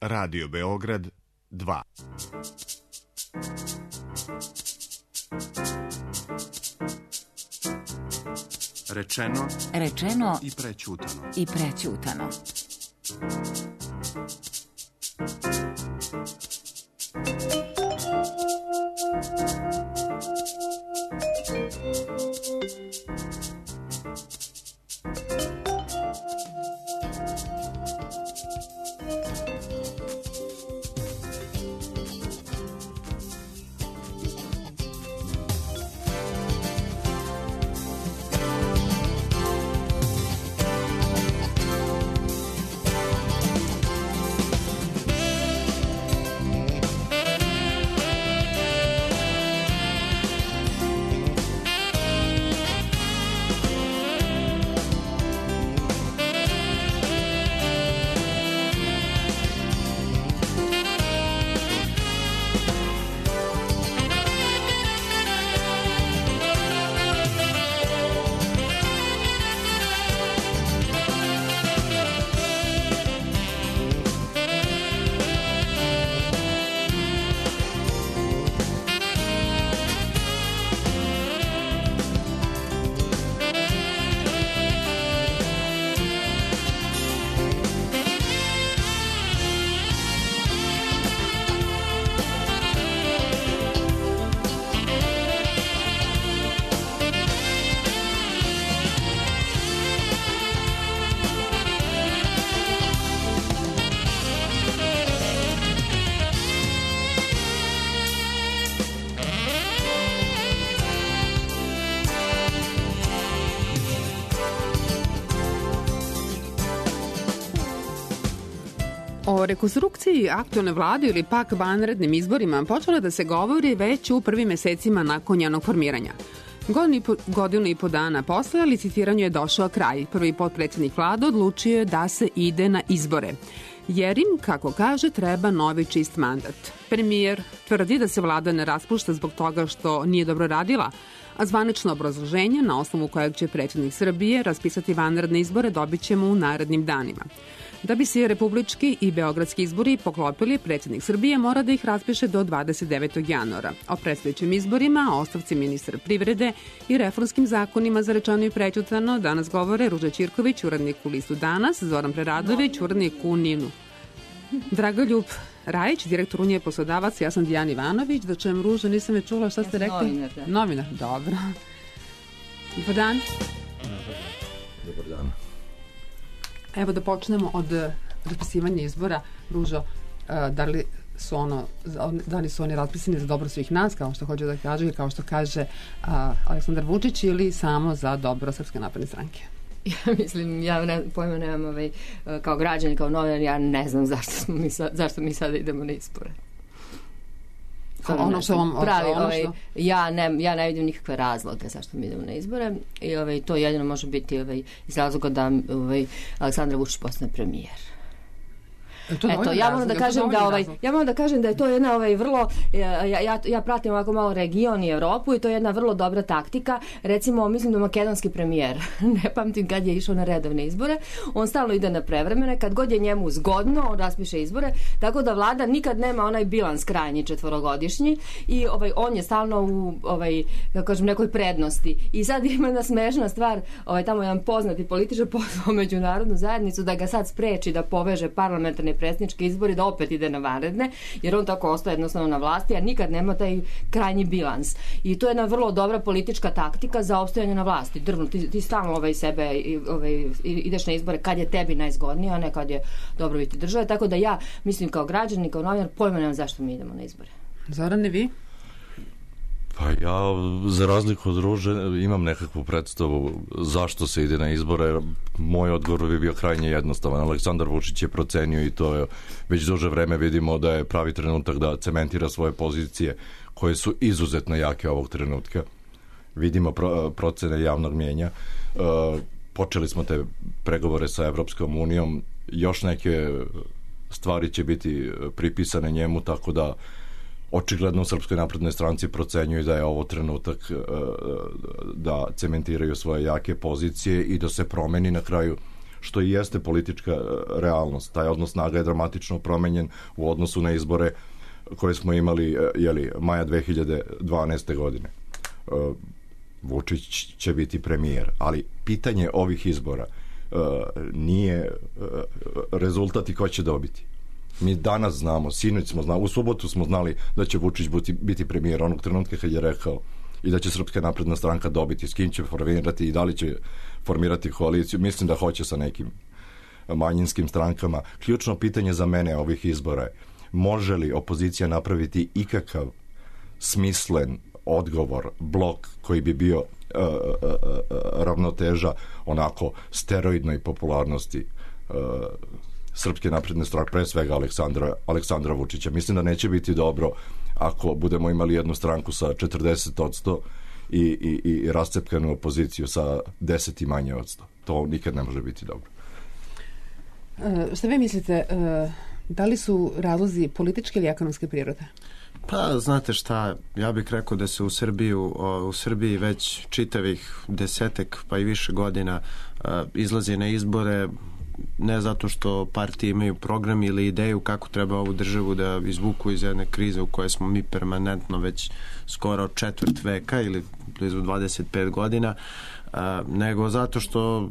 Radio Beograd 2. Rečeno i prećutano. O rekonstrukciji aktualne vlade ili pak vanrednim izborima počelo da se govori već u prvim mesecima nakon njenog formiranja. Godinu i po dana posle licitiranju je došao kraj. Prvi potpredsednik vlade odlučio je da se ide na izbore. Jer im, kako kaže, treba novi čist mandat. Premijer tvrdi da se vlada ne raspušta zbog toga što nije dobro radila, a zvanično obrazloženje na osnovu kojeg će predsednik Srbije raspisati vanredne izbore dobit ćemo u narednim danima. Da bi se republički i beogradski izbori poklopili, predsednik Srbije mora da ih raspiše do 29. januara. O predstojećim izborima, o ostavci ministra privrede i reformskim zakonima za rečeno i prećutano danas govore Ruža Ćirković, urednik u listu Danas, Zoran Preradović, urednik u Ninu, Dragoljub Rajić, direktor Unije poslodavaca, ja sam Dijana Ivanović. Da čujem, Ruža, nisam je čula, šta ste rekli? Novinar, dobro. Dobar dan. Dobar dan. Evo da počnemo od raspisivanja izbora. Ružo, da li su oni raspisani za dobro svih nas, kao što hoće da kaže i kao što kaže Aleksandar Vučić, ili samo za dobro Srpske napredne stranke? Ja mislim, pojma nemam kao građani, kao novinar, ja ne znam zašto mi sada idemo na izbore. Ja ne vidim nikakve razloge zašto mi idemo na izbore i to jedino može biti iz razloga da Aleksandar Vučić postane premijer. Eto, ja moram da kažem da je to jedna vrlo, ja pratim ovako malo region i Evropu i to je jedna vrlo dobra taktika. Recimo, mislim da makedonski premijer, ne pamtim kad je išao na redovne izbore, on stalno ide na prevremene, kad god je njemu zgodno, on raspiše izbore, tako da vlada nikad nema onaj bilans krajnji četvorogodišnji i on je stalno u nekoj prednosti. I sad ima jedna smešna stvar, tamo jedan poznati političar pozvao međunarodnu zajednicu da ga sad spreči da poveže parlamentarne predsjedničke izbori, da opet ide na vanredne, jer on tako ostaje jednostavno na vlasti, a nikad nema taj krajnji bilans. I to je jedna vrlo dobra politička taktika za opstojanje na vlasti. Drvno, ti stalno sebe ideš na izbore kad je tebi najzgodnije, a ne kad je dobrobiti države. Tako da ja mislim kao građanin, kao novinar, pojma nemam zašto mi idemo na izbore. Zorane, vi? Pa ja, za razliku od Ruže, imam nekakvu predstavu zašto se ide na izbore. Moj odgovor bi bio krajnje jednostavan. Aleksandar Vučić je procenio i to je već duže vreme vidimo da je pravi trenutak da cementira svoje pozicije koje su izuzetno jake ovog trenutka. Vidimo procene javnog mnjenja. Počeli smo te pregovore sa Evropskom unijom. Još neke stvari će biti pripisane njemu, tako da očigledno u Srpskoj naprednoj stranci procenjuju da je ovo trenutak da cementiraju svoje jake pozicije i da se promeni na kraju što i jeste politička realnost. Taj odnos snaga je dramatično promenjen u odnosu na izbore koje smo imali maja 2012. godine. Vučić će biti premijer, ali pitanje ovih izbora nije rezultat i ko će dobiti. Mi danas znamo, sinoć smo znali, u subotu smo znali da će Vučić biti premijer onog trenutka kad je rekao i da će Srpska napredna stranka dobiti, s kim će formirati i da li će formirati koaliciju. Mislim da hoće sa nekim manjinskim strankama. Ključno pitanje za mene ovih izbora je: može li opozicija napraviti ikakav smislen odgovor, blok koji bi bio ravnoteža onako steroidnoj popularnosti Srpske napredne stranke, pre svega Aleksandra Vučića. Mislim da neće biti dobro ako budemo imali jednu stranku sa 40% i rascepkanu opoziciju sa 10 i manje odsto. To nikad ne može biti dobro. Šta vi mislite, da li su razlozi političke ili ekonomske prirode? Pa, znate šta, ja bih rekao da se u Srbiji već čitavih 10 pa i više godina izlazi na izbore ne zato što partije imaju program ili ideju kako treba ovu državu da izvuku iz jedne krize u kojoj smo mi permanentno već skoro četvrt veka ili blizu 25 godina, nego zato što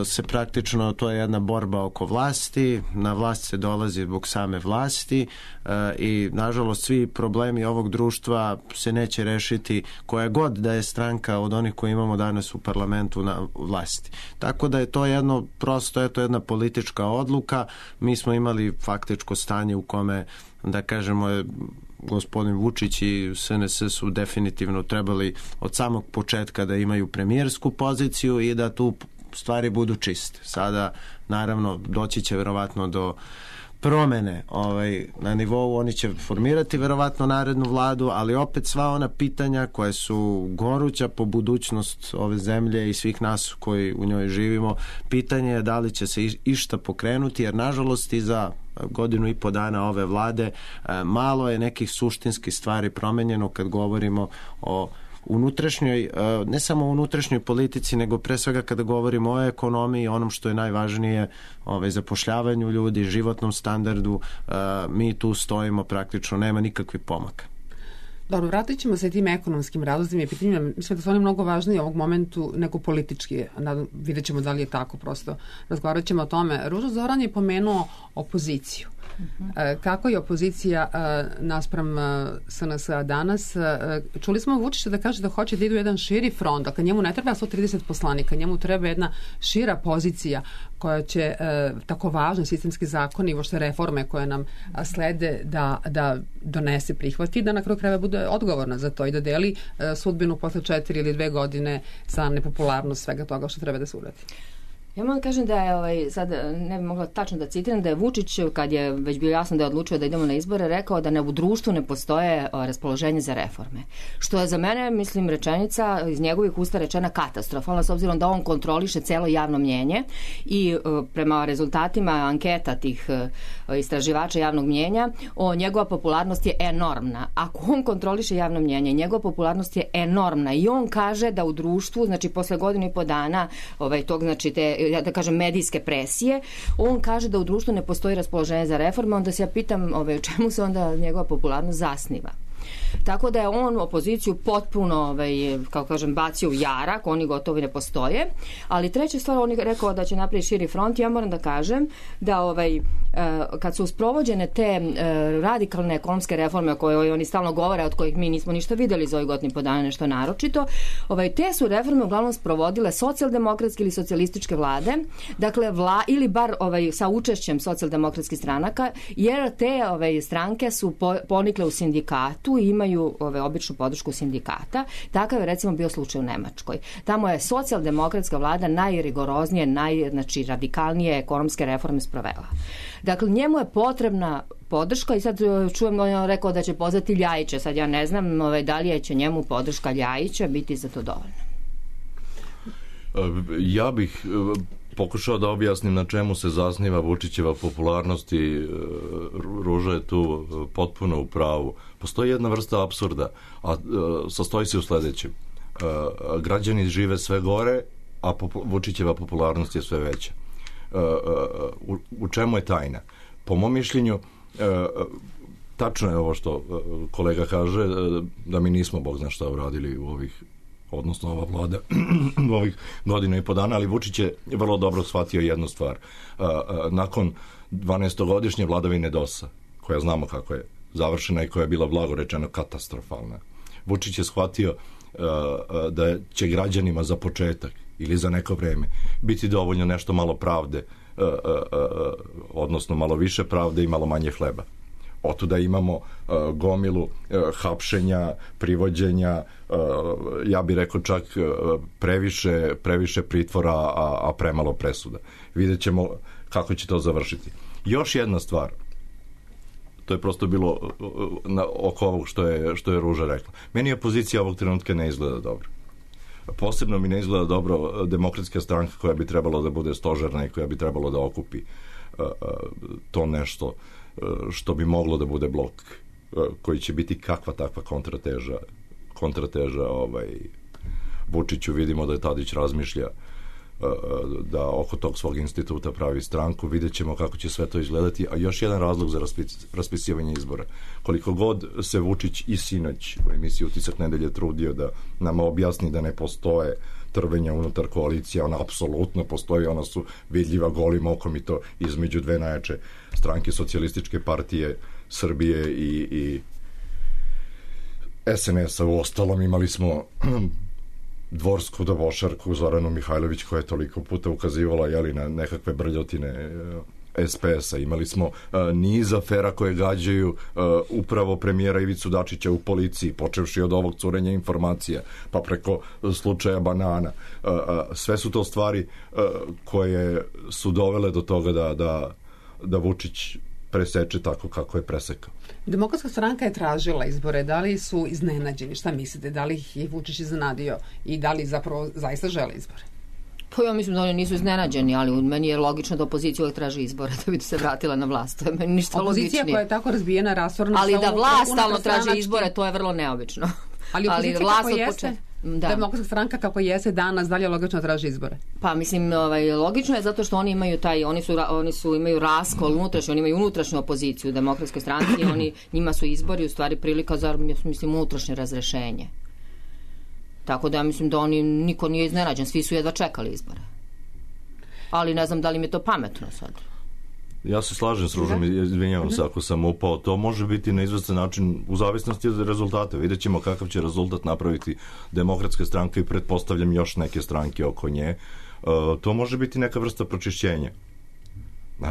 se praktično, to je jedna borba oko vlasti, na vlast se dolazi zbog same vlasti i nažalost svi problemi ovog društva se neće rešiti koja god da je stranka od onih koje imamo danas u parlamentu na vlasti. Tako da je to jedno prosto, eto jedna politička odluka. Mi smo imali faktičko stanje u kome, da kažemo, gospodin Vučić i SNS su definitivno trebali od samog početka da imaju premijersku poziciju i da tu stvari budu čiste. Sada, naravno, doći će verovatno do promene na nivou, oni će formirati verovatno narednu vladu, ali opet sva ona pitanja koja su goruća po budućnost ove zemlje i svih nas koji u njoj živimo, pitanje je da li će se išta pokrenuti, jer nažalost i za godinu i po dana ove vlade malo je nekih suštinskih stvari promenjeno kad govorimo o unutrašnjoj, ne samo unutrašnjoj politici, nego pre svega kada govorimo o ekonomiji, onom što je najvažnije, zapošljavanju ljudi, životnom standardu, mi tu stojimo praktično, nema nikakvih pomaka. Dobro, vratit ćemo se tim ekonomskim razlozima i pitanjima. Mislim da su oni mnogo važniji u ovog momentu nego politički. Vidjet ćemo da li je tako, prosto razgovarat ćemo o tome. Ruža Zoran je pomenuo opoziciju. Kako je opozicija naspram SNS-a danas? Čuli smo Vučića da kaže da hoće da idu jedan širi front, dakle njemu ne treba 130 poslanika, njemu treba jedna šira pozicija koja će tako važni sistemski zakoni i uopšte reforme koje nam slede da donese, prihvati i da na kraju krajeva bude odgovorna za to i da deli sudbinu posle 4 ili 2 godine za nepopularnost svega toga što treba da se uradi. Ja moram kažem da je, sad ne bih mogla tačno da citiram, da je Vučić, kad je već bio jasno da je odlučio da idemo na izbore, rekao da u društvu ne postoje raspoloženje za reforme. Što je za mene, mislim, rečenica iz njegovih usta rečena katastrofalna, s obzirom da on kontroliše celo javno mnjenje i prema rezultatima anketa tih istraživača javnog mnjenja, njegova popularnost je enormna. Ako on kontroliše javno mnjenje, njegova popularnost je enormna i on kaže da u društvu, znači posle godinu i po dana tog, znači te, da kažem, medijske presije, on kaže da u društvu ne postoji raspoloženje za reforme, onda se ja pitam u čemu se onda njegova popularnost zasniva. Tako da je on opoziciju potpuno, kako kažem, bacio u jarak, oni gotovo ne postoje, ali treća stvar, on je rekao da će napraviti širi front. Ja moram da kažem da kad su sprovođene te radikalne ekonomske reforme o kojoj oni stalno govore, od kojih mi nismo ništa videli za ovih godinu i po dana, nešto naročito, te su reforme uglavnom sprovodile socijaldemokratske ili socijalističke vlade, dakle ili bar sa učešćem socijaldemokratskih stranaka, jer te stranke su ponikle u sindikatu i imaju običnu podršku sindikata. Takav je recimo bio slučaj u Nemačkoj. Tamo je socijaldemokratska vlada najrigoroznije, znači radikalnije ekonomske reforme sprovela. Dakle, njemu je potrebna podrška i sad čujem da on rekao da će pozvati Ljajića. Sad ja ne znam da li će njemu podrška Ljajića biti za to dovoljno. Ja bih pokušao da objasnim na čemu se zasniva Vučićeva popularnost i Ruža je tu potpuno u pravu. Postoji jedna vrsta apsurda, a sastoji se u sledećem. Građani žive sve gore, a Vučićeva popularnost je sve veća. u čemu je tajna? Po mom mišljenju, tačno je ovo što kolega kaže, da mi nismo Bog zna šta uradili u odnosno ova vlada u ovih godina i po dana, ali Vučić je vrlo dobro shvatio jednu stvar. Nakon 12-godišnje vladavine DOS-a, koja znamo kako je završena i koja je bila blago rečeno katastrofalna, Vučić je shvatio da će građanima za početak ili za neko vreme biti dovoljno nešto malo pravde, odnosno malo više pravde i malo manje hleba. Otuda imamo gomilu hapšenja, privođenja, ja bih rekao čak previše pritvora, a premalo presuda. Vidjet ćemo kako će to završiti. Još jedna stvar, to je prosto bilo oko ovog što je Ruža rekla. Meni opozicija ovog trenutka ne izgleda dobro. Posebno mi ne izgleda dobro Demokratska stranka koja bi trebalo da bude stožerna i koja bi trebalo da okupi to nešto što bi moglo da bude blok koji će biti kakva takva kontrateža Vučiću. Vidimo da je Tadić razmišlja da oko tog svog instituta pravi stranku. Vidjet ćemo kako će sve to izgledati. A još jedan razlog za raspisivanje izbora. Koliko god se Vučić i sinoć u emisiji Utisak nedelje trudio da nam objasni da ne postoje trvenja unutar koalicija, ona apsolutno postoji, ona su vidljiva golim okom i to između dve najjače stranke Socijalističke partije Srbije i SNS-a. U ostalom imali smo dvorsku dobošarku Zoranu Mihajlović koja je toliko puta ukazivala na nekakve brljotine SPS-a. Imali smo niz afera koje gađaju upravo premijera Ivicu Dačića u policiji, počevši od ovog curenja informacija, pa preko slučaja banana. Sve su to stvari koje su dovele do toga da Vučić preseče tako kako je presekao. Demokratska stranka je tražila izbore. Da li su iznenađeni? Šta mislite? Da li ih je Vučić iznenadio i da li zapravo zaista žele izbore? Pa ja mislim da oni nisu iznenađeni, ali meni je logično da opozicija uvijek traži izbore da bi se vratila na vlast. To je meni ništa logičnije. Opozicija koja je tako razbijena, rasorna... Ali da vlast stalno traži izbore, to je vrlo neobično. Ali opozicija kako jeste? Demokratska stranka kako jeste danas, dalje logično traži izbore? Pa mislim, logično je zato što oni imaju imaju raskol unutrašnji, oni imaju unutrašnju opoziciju u Demokratskoj stranci i njima su izbori u stvari prilika za, mislim, unutrašnje razrešenje. Tako da ja mislim da niko nije iznenađen, svi su jedva čekali izbore. Ali ne znam da li mi je to pametno sad. Ja se slažem s Ružom, izvinjavam se ako sam upao. To može biti na izvestan način u zavisnosti od rezultata. Vidjet ćemo kakav će rezultat napraviti Demokratska stranka i pretpostavljam još neke stranke oko nje. To može biti neka vrsta pročišćenja.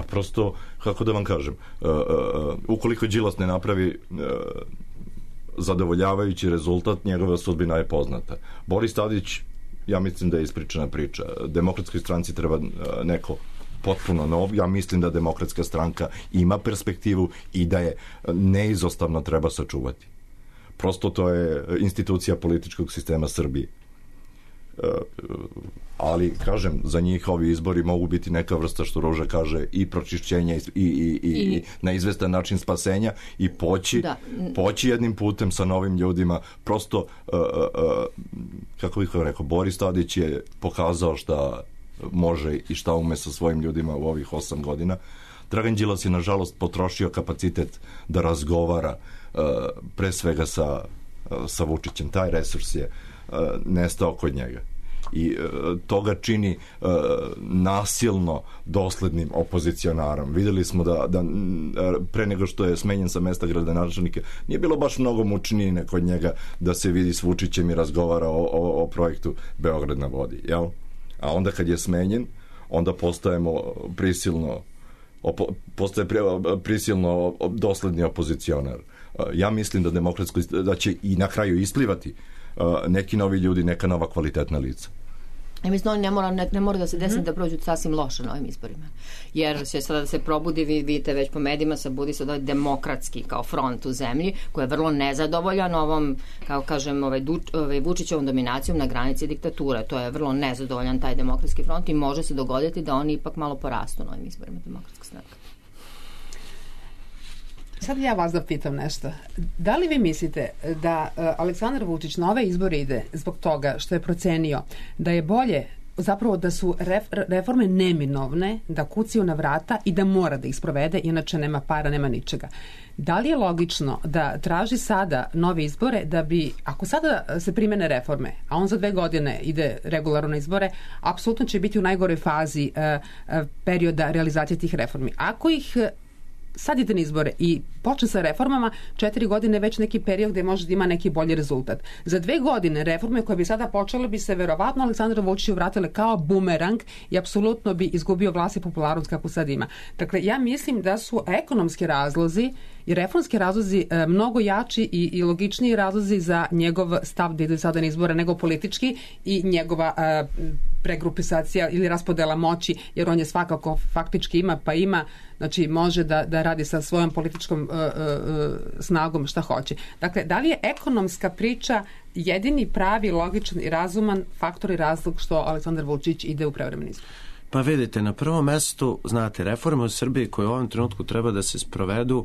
Prosto, kako da vam kažem, ukoliko Đilas ne napravi zadovoljavajući rezultat, njegova sudbina je poznata. Boris Tadić, ja mislim da je ispričana priča. Demokratskoj stranci treba neko potpuno nov. Ja mislim da Demokratska stranka ima perspektivu i da je neizostavno treba sačuvati. Prosto to je institucija političkog sistema Srbije. Ali, kažem, za njih ovi izbori mogu biti neka vrsta, što Ruža kaže, i pročišćenja i na izvestan način spasenja i poći jednim putem sa novim ljudima. Prosto, kako bih rekao, Boris Tadić je pokazao šta može i šta ume sa svojim ljudima u ovih 8 godina. Dragan Đilas je, nažalost, potrošio kapacitet da razgovara pre svega sa Vučićem. Taj resurs je nestao kod njega. I to ga čini nasilno doslednim opozicionarom. Videli smo da pre nego što je smenjen sa mesta gradonačelnika nije bilo baš mnogo mučnine kod njega da se vidi s Vučićem i razgovara o projektu Beograd na vodi, jel? A onda kad je smenjen, onda postaje prisilno dosledni opozicionar. Ja mislim da će i na kraju isplivati neki novi ljudi, neka nova kvalitetna lica. Ja mislim da ne mora da se desi da prođu sasvim loše na ovim izborima. Jer će sada da se probudi, vi vidite već po medijima, budi se demokratski kao front u zemlji, koji je vrlo nezadovoljan ovom, kao kažem, Vučićevom dominacijom na granici diktature. To je vrlo nezadovoljan taj demokratski front i može se dogoditi da oni ipak malo porastu na ovim izborima Demokratska stranka. Sad ja vas da pitam nešto. Da li vi mislite da Aleksandar Vučić na ove izbore ide zbog toga što je procenio da je bolje zapravo da su reforme neminovne, da kucaju na vrata i da mora da ih sprovede, inače nema para, nema ničega. Da li je logično da traži sada nove izbore da bi, ako sada se primene reforme, a on za 2 godine ide regularno na izbore, apsolutno će biti u najgoroj fazi perioda realizacije tih reformi. Ako ih sad ide na izbore i počne sa reformama, 4 godine već neki period gde može da ima neki bolji rezultat. Za 2 godine reforme koje bi sada počele bi se verovatno Aleksandru Vučiću vratile kao bumerang i apsolutno bi izgubio glas i popularnost kako sad ima. Dakle, ja mislim da su ekonomski razlozi i reformski razlozi mnogo jači i logičniji razlozi za njegov stav da ide sada na izbore nego politički i njegova pregrupisacija ili raspodela moći, jer on je svakako faktički ima, znači može da radi sa svojom političkom snagom šta hoće. Dakle, da li je ekonomska priča jedini pravi, logičan i razuman faktor i razlog što Aleksandar Vučić ide u prevremeni izbor? Pa vidite, na prvom mestu, znate, reforme u Srbiji koje u ovom trenutku treba da se sprovedu,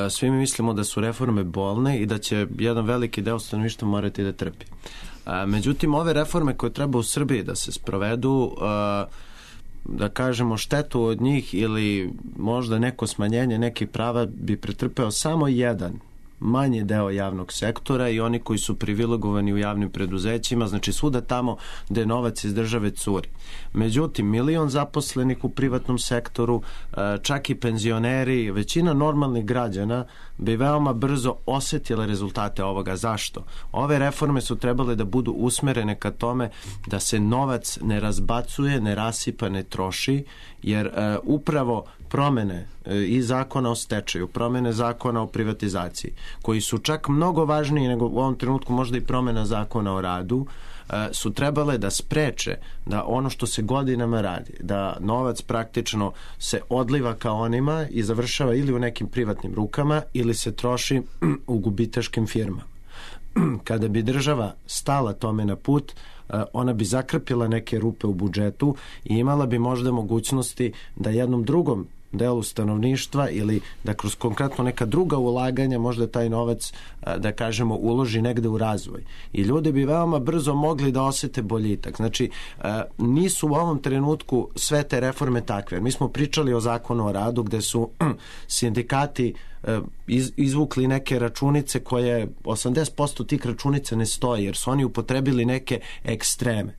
svi mi mislimo da su reforme bolne i da će jedan veliki deo stanovništva morati da trpi. Međutim, ove reforme koje treba u Srbiji da se sprovedu, da kažemo štetu od njih ili možda neko smanjenje nekih prava bi pretrpeo samo jedan manji deo javnog sektora i oni koji su privilegovani u javnim preduzećima, znači svuda tamo gde novac iz države curi. Međutim, 1 milion zaposlenih u privatnom sektoru, čak i penzioneri, većina normalnih građana bi veoma brzo osetila rezultate ovoga. Zašto? Ove reforme su trebale da budu usmerene ka tome da se novac ne razbacuje, ne rasipa, ne troši, jer upravo promene i zakona o stečaju, promene zakona o privatizaciji, koji su čak mnogo važniji nego u ovom trenutku možda i promena zakona o radu, su trebale da spreče da ono što se godinama radi, da novac praktično se odliva ka onima i završava ili u nekim privatnim rukama ili se troši u gubitaškim firmama. Kada bi država stala tome na put, ona bi zakrpila neke rupe u budžetu i imala bi možda mogućnosti da jednom drugom delu stanovništva ili da kroz konkretno neka druga ulaganja možda taj novac, da kažemo, uloži negde u razvoj. I ljudi bi veoma brzo mogli da osete boljitak. Znači, nisu u ovom trenutku sve te reforme takve. Mi smo pričali o zakonu o radu gde su sindikati izvukli neke računice koje 80% tih računica ne stoji jer su oni upotrebili neke ekstreme.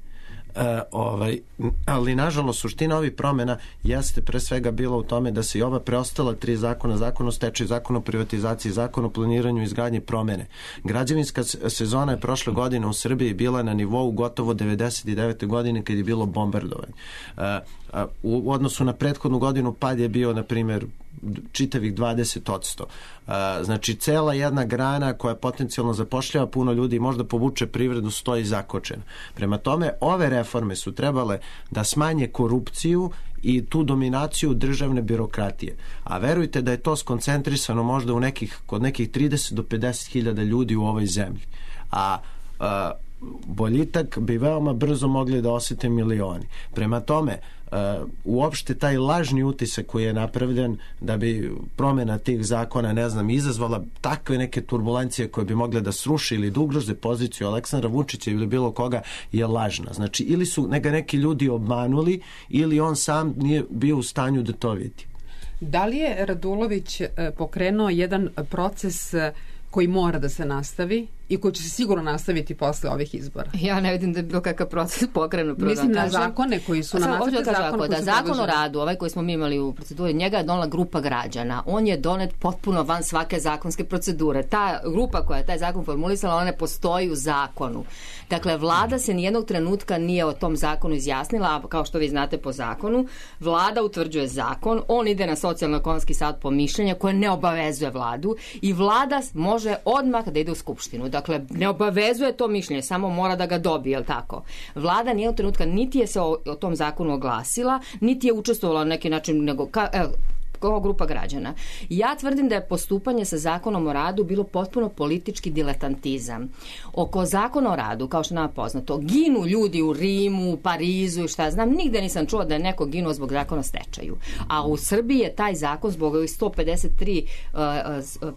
Ali nažalost suština ovih promjena jeste pre svega bila u tome da se i ova preostala 3 zakona, zakon o stečaju, zakon o privatizaciji, zakon o planiranju i izgradnji promene. Građevinska sezona je prošle godine u Srbiji bila na nivou gotovo 99. godine kad je bilo bombardovanje. U odnosu na prethodnu godinu pad je bio, na primjer, čitavih 20%. Znači, cela jedna grana koja potencijalno zapošljava puno ljudi i možda povuče privredu stoji zakočena. Prema tome, ove reforme su trebale da smanje korupciju i tu dominaciju državne birokratije. A verujte da je to skoncentrisano možda kod nekih 30 do 50 hiljada ljudi u ovoj zemlji. A boljitak bi veoma brzo mogli da osete milioni. Prema tome, uopšte taj lažni utisak koji je napravljen da bi promjena tih zakona, ne znam, izazvala takve neke turbulencije koje bi mogle da sruši ili da ugroze poziciju Aleksandra Vučića ili bilo koga, je lažna. Znači, ili su neki ljudi obmanuli ili on sam nije bio u stanju da to vidi. Da li je Radulović pokrenuo jedan proces koji mora da se nastavi i koji će se sigurno nastaviti posle ovih izbora? Ja ne vidim da je bilo kakav proces pokrenut. Mislim na zakone koji su na nacrte zakona. Da, zakon o radu, ovaj koji smo mi imali u proceduri, njega je donela grupa građana. On je donet potpuno van svake zakonske procedure. Ta grupa koja je taj zakon formulisala, ona ne postoji u zakonu. Dakle, vlada se nijednog trenutka nije o tom zakonu izjasnila, a kao što vi znate po zakonu, vlada utvrđuje zakon, on ide na socijalno-ekonomski savet po mišljenja koje ne obavezuje vladu i vlada može odmah da ide u skupštinu. Dakle, ne obavezuje to mišljenje, samo mora da ga dobije, je li tako? Vlada nijednog trenutka niti je se o tom zakonu oglasila, niti je učestvovala na neki način, nego kao grupa građana. Ja tvrdim da je postupanje sa zakonom o radu bilo potpuno politički diletantizam. Oko zakona o radu, kao što nama poznato, ginu ljudi u Rimu, Parizu i šta znam, nigde nisam čuo da je neko ginuo zbog zakona o stečaju. A u Srbiji je taj zakon zbog ovih 153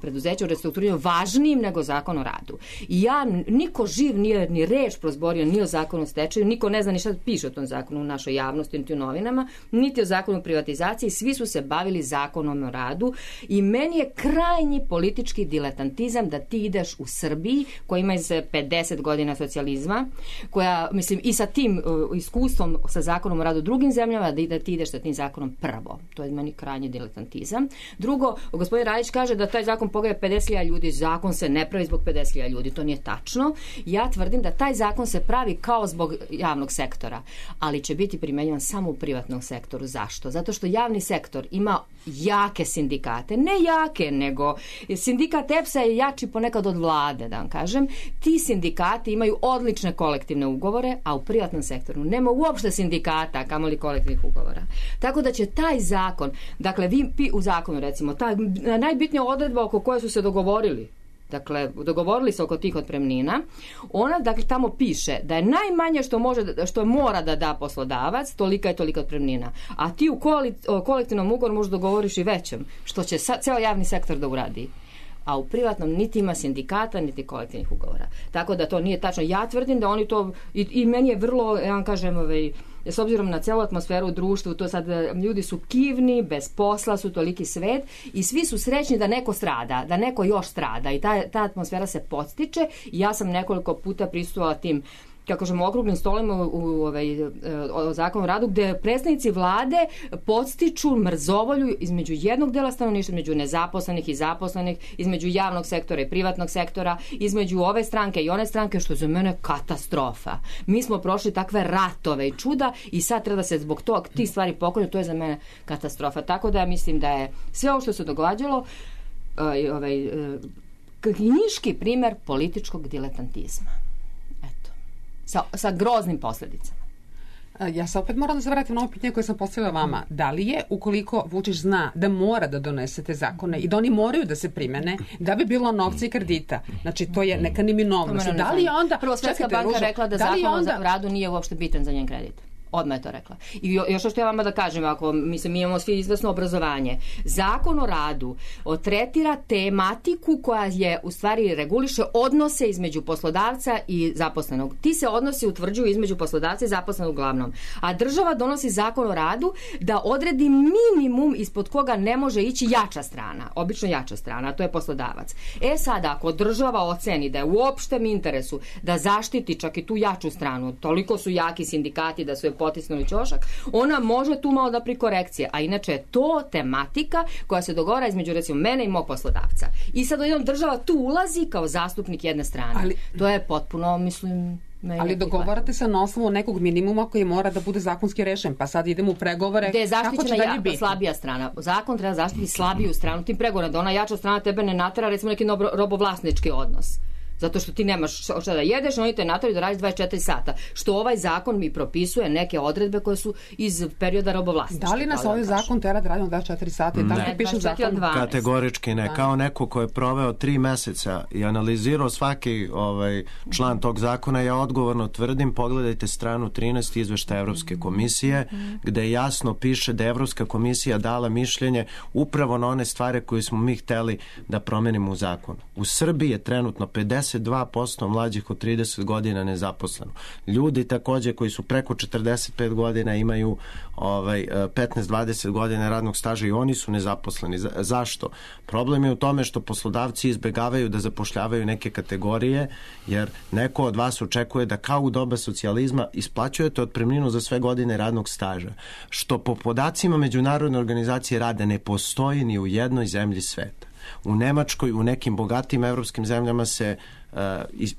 preduzeća u restrukturiranju važnijim nego zakon o radu. I niko živ nije ni reč prozborio ni o zakonu o stečaju, niko ne zna ni šta piše o tom zakonu u našoj javnosti, niti u novinama, niti o zakonu o privatizaciji, svi su se bavili zakonom o radu i meni je krajnji politički diletantizam da ti ideš u Srbiji, koja ima 50 godina socijalizma, koja, mislim, i sa tim iskustvom sa zakonom o radu u drugim zemljama, da ti ideš sa tim zakonom prvo. To je meni krajnji diletantizam. Drugo, gospodin Radić kaže da taj zakon pogaja 50.000 ljudi, zakon se ne pravi zbog 50.000 ljudi, to nije tačno. Ja tvrdim da taj zakon se pravi kao zbog javnog sektora, ali će biti primenjivan samo u privatnom sektoru. Zašto? Zato što javni sektor ima jake sindikate, ne jake, nego sindikat EPS-a je jači ponekad od vlade, da vam kažem. Ti sindikati imaju odlične kolektivne ugovore, a u privatnom sektoru nema uopšte sindikata, kamoli kolektivnih ugovora. Tako da će taj zakon, dakle vi u zakonu recimo, ta najbitnija odredba oko koje su se dogovorili, dakle, dogovorili se oko tih otpremnina, ona, dakle, tamo piše da je najmanje što mora da da poslodavac, tolika je tolika otpremnina. A ti u kolektivnom ugovoru možeš dogovoriš i većem, što će ceo javni sektor da uradi. A u privatnom niti ima sindikata, niti kolektivnih ugovora. Tako da to nije tačno. Ja tvrdim da oni to, i meni je vrlo, ja vam kažem, s obzirom na celu atmosferu u društvu, to sad ljudi su kivni, bez posla su, toliki svet i svi su srećni da neko strada, da neko još strada i ta atmosfera se podstiče i ja sam nekoliko puta prisustvovala tim, kako kažemo, okruglim stolima u zakonu o radu, gde predstavnici vlade podstiču mrzovolju između jednog dela stanovništva, između nezaposlenih i zaposlenih, između javnog sektora i privatnog sektora, između ove stranke i one stranke, što je za mene katastrofa. Mi smo prošli takve ratove i čuda i sad treba da se zbog tog tih stvari poklonju, to je za mene katastrofa. Tako da ja mislim da je sve ovo što se događalo knjiški primer političkog diletantizma. Sa groznim posledicama. Ja se opet moram da se vratim na ovo pitanje koje sam postavila vama. Da li je, ukoliko Vučić zna da mora da donese te zakone i da oni moraju da se primene, da bi bilo novca i kredita? Znači, to je neka neminovnost. Da li onda... Prvo, Svetska banka rekla da zakon o radu nije uopšte bitan za njen kredit. Odmah je to rekla. I još što ja vama da kažem, ako mi imamo svi izvesno obrazovanje, zakon o radu tretira tematiku koja je u stvari reguliše odnose između poslodavca i zaposlenog. Ti se odnosi utvrđuju između poslodavca i zaposlenog uglavnom. A država donosi zakon o radu da odredi minimum ispod koga ne može ići jača strana, obično jača strana, a to je poslodavac. Sada, ako država oceni da je u opštem interesu da zaštiti čak i tu jaču stranu, toliko su jaki sindikati da su je potisnuli ćošak, ona može tu malo da prikorekcije, a inače je to tematika koja se dogovara između recimo mene i mog poslodavca. I sad odjednom država tu ulazi kao zastupnik jedne strane. To je potpuno, mislim... Ali dogovarate se na osnovu nekog minimuma koji mora da bude zakonski rešen, pa sad idemo u pregovore. Gde je zaštićena slabija strana. Zakon treba zaštiti slabiju stranu tim pregovorima, da ona jača strana tebe ne natera recimo neki robovlasnički odnos. Zato što ti nemaš šta da jedeš, oni te nateraju da radiš 24 sata. Što ovaj zakon mi propisuje neke odredbe koje su iz perioda robovlasništva. Da li nas ovaj zakon tera da radimo 24 sata? Ne, piše zakon? Kategorički ne. Kao neko ko je proveo 3 meseca i analizirao svaki član tog zakona, ja odgovorno tvrdim, pogledajte stranu 13 izveštaja Evropske komisije, gde jasno piše da je Evropska komisija dala mišljenje upravo na one stvari koje smo mi hteli da promenimo u zakonu. U Srbiji je trenutno 52% mlađih od 30 godina nezaposleno. Ljudi takođe koji su preko 45 godina imaju 15-20 godina radnog staža i oni su nezaposleni. Zašto? Problem je u tome što poslodavci izbegavaju da zapošljavaju neke kategorije, jer neko od vas očekuje da kao u doba socijalizma isplaćujete otpremninu za sve godine radnog staža, što po podacima Međunarodne organizacije rada ne postoji ni u jednoj zemlji sveta. U Nemačkoj, u nekim bogatim evropskim zemljama se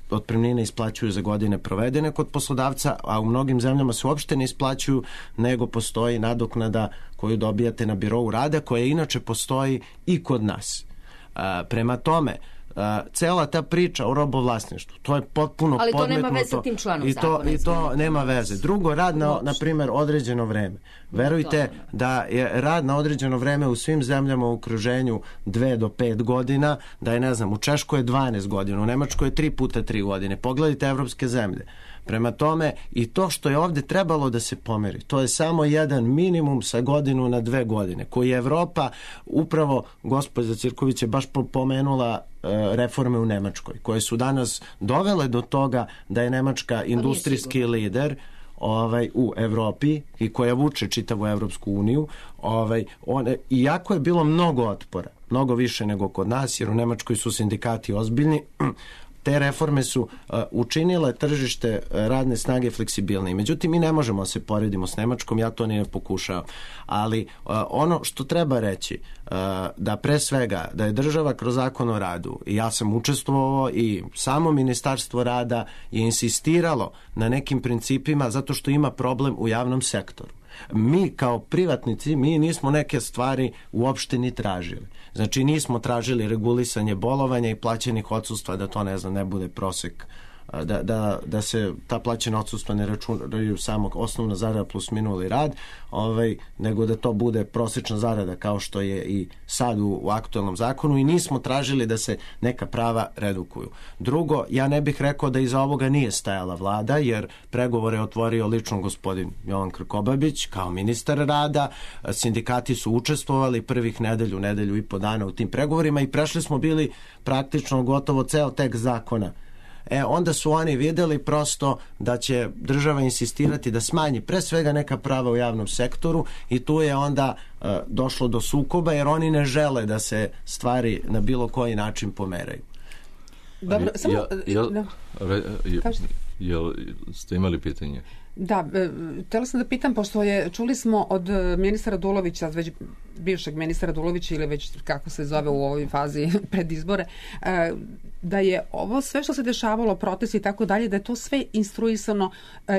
otpremnine isplaćuju za godine provedene kod poslodavca, a u mnogim zemljama se uopšte ne isplaćuju, nego postoji nadoknada koju dobijate na birou rada, koja inače postoji i kod nas. Prema tome, cela ta priča o robovlasništvu, to je potpuno podmetnuto. Ali to nema veze sa tim članom zakona. I to nema veze. Drugo, rad na primjer, određeno vreme. Verujte da je rad na određeno vreme u svim zemljama u okruženju 2 do 5 godina, da je, ne znam, u Češkoj je 12 godina, u Nemačkoj je 3 puta 3 godine. Pogledajte evropske zemlje. Prema tome, i to što je ovdje trebalo da se pomeri, to je samo jedan minimum sa godinu na 2 godine, koji je Evropa, upravo gospođa Cirković je baš pomenula reforme u Nemačkoj, koje su danas dovele do toga da je Nemačka industrijski lider u Evropi i koja vuče čitavu Evropsku uniju. Iako je bilo mnogo otpora, mnogo više nego kod nas, jer u Nemačkoj su sindikati ozbiljni, te reforme su učinile tržište radne snage fleksibilnije. Međutim, mi ne možemo se poredimo s Nemačkom, ja to ne pokušavam. Ali ono što treba reći, da pre svega, da je država kroz zakon o radu, i ja sam učestvovao i samo Ministarstvo rada je insistiralo na nekim principima zato što ima problem u javnom sektoru. Mi kao privatnici, mi nismo neke stvari uopšte ni tražili. Znači nismo tražili regulisanje bolovanja i plaćenih odsustva, da to ne bude prosek, da se ta plaćena odsustva ne računaju samo osnovna zarada plus minuli rad, nego da to bude prosečna zarada kao što je i sad u aktualnom zakonu, i nismo tražili da se neka prava redukuju. Drugo, ja ne bih rekao da iza ovoga nije stajala vlada, jer pregovore je otvorio lično gospodin Jovan Krkobabić kao ministar rada, sindikati su učestvovali prvih nedelju i po dana u tim pregovorima i prešli smo bili praktično gotovo ceo tekst zakona. Onda su oni vidjeli prosto da će država insistirati da smanji pre svega neka prava u javnom sektoru, i tu je onda došlo do sukoba, jer oni ne žele da se stvari na bilo koji način pomeraju. Dobro, samo... Jel ste imali pitanje? Da, htjela sam da pitam, pošto čuli smo od ministra Radulovića, već bivšeg ministra Radulovića, ili već kako se zove u ovoj fazi pred izbore, da je ovo sve što se dešavalo, protesti i tako dalje, da je to sve instruisano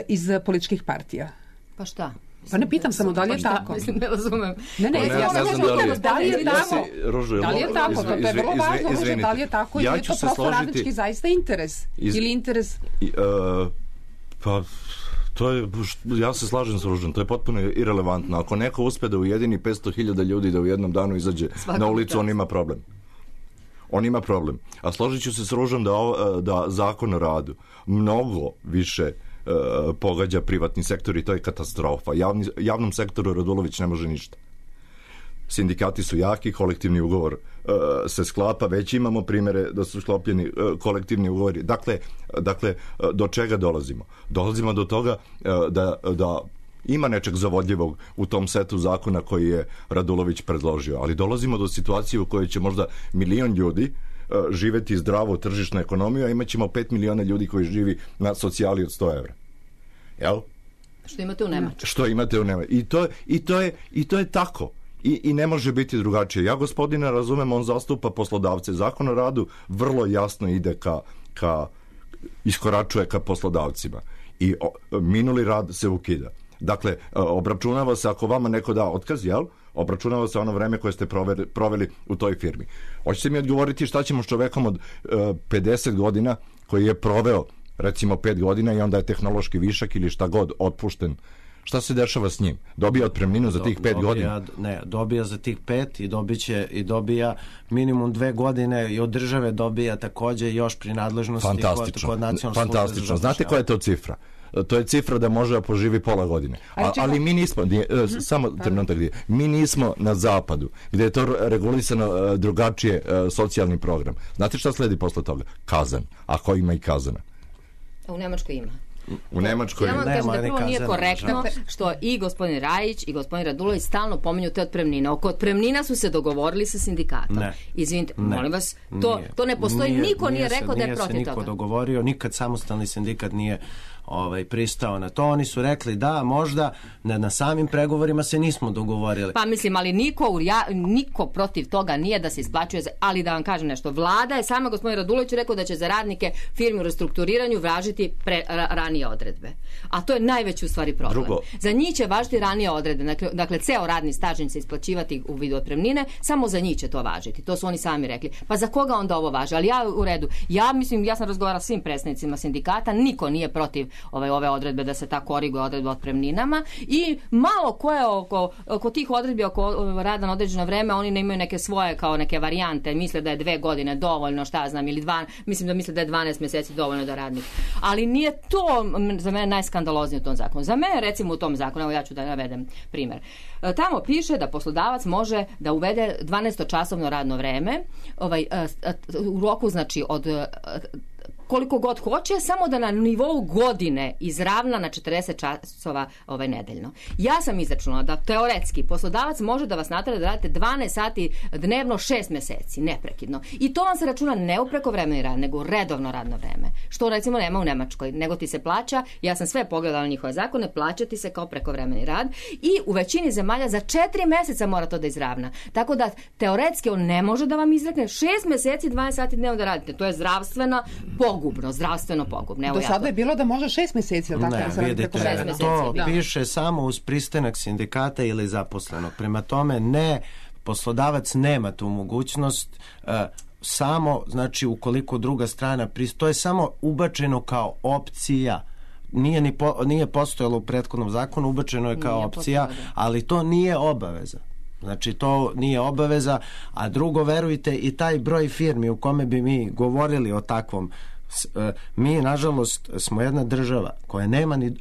iz političkih partija. Pa šta? Pa ne pitam samo da li je tako. Mislim, ne razumem. Ja sam da li je tako. Da li je tako? To je vrlo važno. Da li je tako, ili je to prosto radnički zaista interes? Ili interes... Pa... ja se slažem s Ružom, to je potpuno irelevantno. Ako neko uspe da ujedini 500.000 ljudi da u jednom danu izađe na ulicu, on ima problem. On ima problem. A složit ću se s Ružom da zakon o radu mnogo više pogađa privatni sektor, i to je katastrofa. Javnom sektoru Radulović ne može ništa. Sindikati su jaki, kolektivni ugovor se sklapa, već imamo primjere da su sklopljeni kolektivni ugovori. Dakle, do čega dolazimo? Dolazimo do toga da ima nečeg zavodljivog u tom setu zakona koji je Radulović predložio, ali dolazimo do situacije u kojoj će možda 1 milion ljudi živeti zdravo u tržišnu ekonomiju, a imat ćemo 5 miliona ljudi koji živi na socijali od 100 evra. Jel? Što imate u Nemačkoj. Što imate u Nemačkoj. I to je tako. I ne može biti drugačije. Ja gospodina razumem, on zastupa poslodavce. Zakon o radu vrlo jasno ide iskoračuje ka poslodavcima. I minuli rad se ukida. Dakle, obračunava se ako vama neko da otkaz, jel? Obračunava se ono vreme koje ste proveli u toj firmi. Hoćete mi odgovoriti šta ćemo s čovekom od 50 godina koji je proveo recimo 5 godina i onda je tehnološki višak ili šta god otpušten? Šta se dešava s njim? Dobija otpremninu za tih 5 godina? Ne, dobija za tih 5 i dobija minimum 2 godine i od države dobija takođe još pri nadležnosti kod nacionalne službe za zapošljavanje. Znate koja je to cifra? To je cifra da može da poživi pola godine. Ali mi nismo, samo trenutak, mi nismo na zapadu, gde je to regulisano drugačije socijalni program. Znate šta sledi posle toga? Kazan. Ako ima i kazana. U Nemačkoj ima. U Nemačkoj ja vam kažem da prvo nije korektno što i gospodin Rajić i gospodin Radulović stalno pominju te otpremnine. Oko otpremnina su se dogovorili sa sindikatom. Izvinite, molim vas, to ne postoji, niko nije rekao da je protiv toga. Nije se niko dogovorio, nikad samostalni sindikat nije pristao na to. Oni su rekli da možda na samim pregovorima se nismo dogovorili. Pa mislim, ali niko protiv toga nije da se isplaćuje, ali da vam kažem nešto, vlada je sama, gospodin Radulović rekao da će za radnike firme u restrukturiranju vražiti ranije ranije odredbe. A to je najveći u stvari problem. Za njih će važiti ranije odredbe. Dakle, ceo radni staž će se isplaćivati u vidu otpremnine, samo za njih će to važiti. To su oni sami rekli. Pa za koga onda ovo važi? Ali ja u redu. Ja sam razgovarala s svim predstavnicima sindikata, niko nije protiv ove odredbe da se ta koriguje odredba o otpremninama i malo ko je oko tih odredbi oko rada na određeno vreme, oni ne imaju neke svoje kao neke varijante, misle da je 2 godine dovoljno, šta znam, ili misle da je 12 mjeseci dovoljno da radnik. Ali nije to za mene najskandaloznije u tom zakonu. Za mene, recimo u tom zakonu, evo ja ću da navedem primjer. Tamo piše da poslodavac može da uvede 12-časovno radno vreme u roku, znači, od koliko god hoće, samo da na nivou godine izravna na 40 časova nedeljno. Ja sam izračunala da teoretski poslodavac može da vas natera da radite 12 sati dnevno 6 mjeseci, neprekidno. I to vam se računa ne u prekovremeni rad, nego u redovno radno vreme. Što recimo nema u Nemačkoj, nego ti se plaća, ja sam sve pogledala njihove zakone, plaća ti se kao prekovremeni rad i u većini zemalja za 4 mjeseca mora to da izravna. Tako da teoretski on ne može da vam izrekne 6 mjeseci 12 sati dnevno da radite. To je zdravstveno pogubno. Do sada je bilo da može 6 mjeseci, ali tako da se radi preko 6 mjeseci. To piše samo uz pristanak sindikata ili zaposlenog. Prema tome, poslodavac nema tu mogućnost, samo, znači, ukoliko druga strana to je samo ubačeno kao opcija. Nije postojalo u prethodnom zakonu, ubačeno je kao opcija, ali to nije obaveza. Znači, to nije obaveza, a drugo, verujte, i taj broj firmi u kome bi mi govorili o takvom, mi, nažalost, smo jedna država koja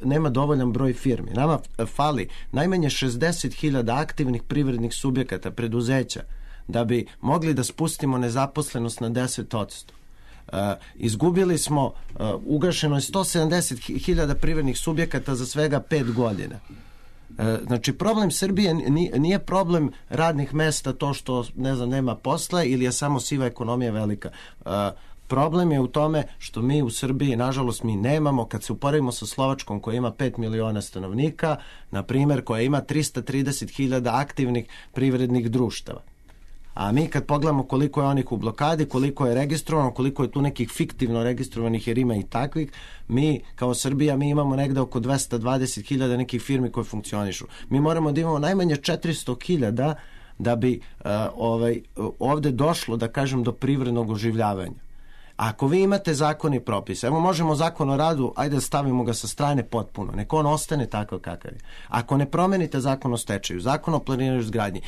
nema dovoljan broj firmi. Nama fali najmanje 60.000 aktivnih privrednih subjekata, preduzeća, da bi mogli da spustimo nezaposlenost na 10%. Izgubili smo, ugašeno je 170.000 privrednih subjekata za svega 5 godina. Znači, problem Srbije nije problem radnih mesta, to što, ne znam, nema posla ili je samo siva ekonomija velika. Problem je u tome što mi u Srbiji, nažalost, mi nemamo, kad se uporedimo sa Slovačkom koja ima 5 miliona stanovnika, na primjer, koja ima 330.000 aktivnih privrednih društava. A mi kad pogledamo koliko je onih u blokadi, koliko je registrovano, koliko je tu nekih fiktivno registrovanih, jer ima i takvih, mi kao Srbija, mi imamo negde oko 220.000 nekih firmi koje funkcionišu. Mi moramo da imamo najmanje 400.000 da bi ovde došlo, da kažem, do privrednog oživljavanja. Ako vi imate zakon i propis, evo možemo zakon o radu, ajde da stavimo ga sa strane potpuno, nek on ostane takav kakav je. Ako ne promenite zakon o stečaju, zakon o planiranju i izgradnji,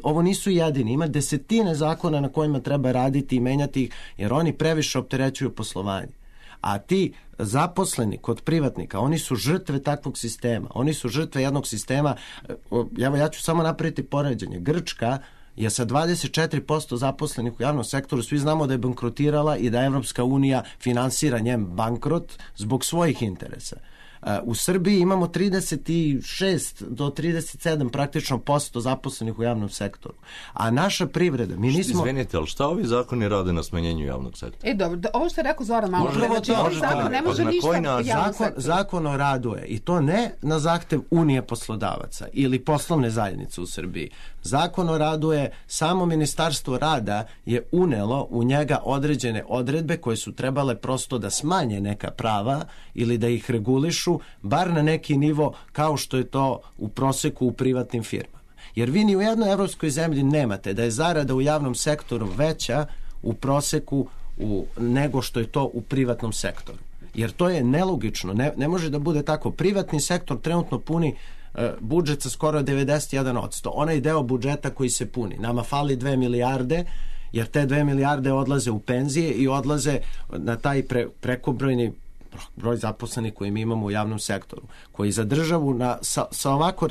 ovo nisu jedini, ima desetine zakona na kojima treba raditi i menjati ih, jer oni previše opterećuju poslovanje. A ti zaposleni kod privatnika, oni su žrtve takvog sistema, oni su žrtve jednog sistema, ja ću samo napraviti poređenje. Grčka je sa 24% zaposlenih u javnom sektoru, svi znamo da je bankrotirala i da Evropska unija finansira njen bankrot zbog svojih interesa. U Srbiji imamo 36 do 37 praktično % zaposlenih u javnom sektoru. A naša privreda, mi nismo... Izvinite, ali šta ovi zakoni rade na smanjenju javnog sektora? Dobro, ovo što je rekao Zoran malo. Ne može ništa javnog sektora. Zakon o radu je, i to ne na zahtev Unije poslodavaca ili poslovne zajednice u Srbiji. Zakon o radu je, samo Ministarstvo rada je unelo u njega određene odredbe koje su trebale prosto da smanje neka prava ili da ih regulišu, bar na neki nivo kao što je to u proseku u privatnim firmama. Jer vi ni u jednoj evropskoj zemlji nemate da je zarada u javnom sektoru veća u proseku nego što je to u privatnom sektoru. Jer to je nelogično, ne može da bude tako. Privatni sektor trenutno puni budžet sa skoro 91%. Onaj deo budžeta koji se puni. Nama fali 2 milijarde, jer te 2 milijarde odlaze u penzije i odlaze na taj prekobrojni broj zaposlenih koji mi imamo u javnom sektoru, koji za državu sa ovako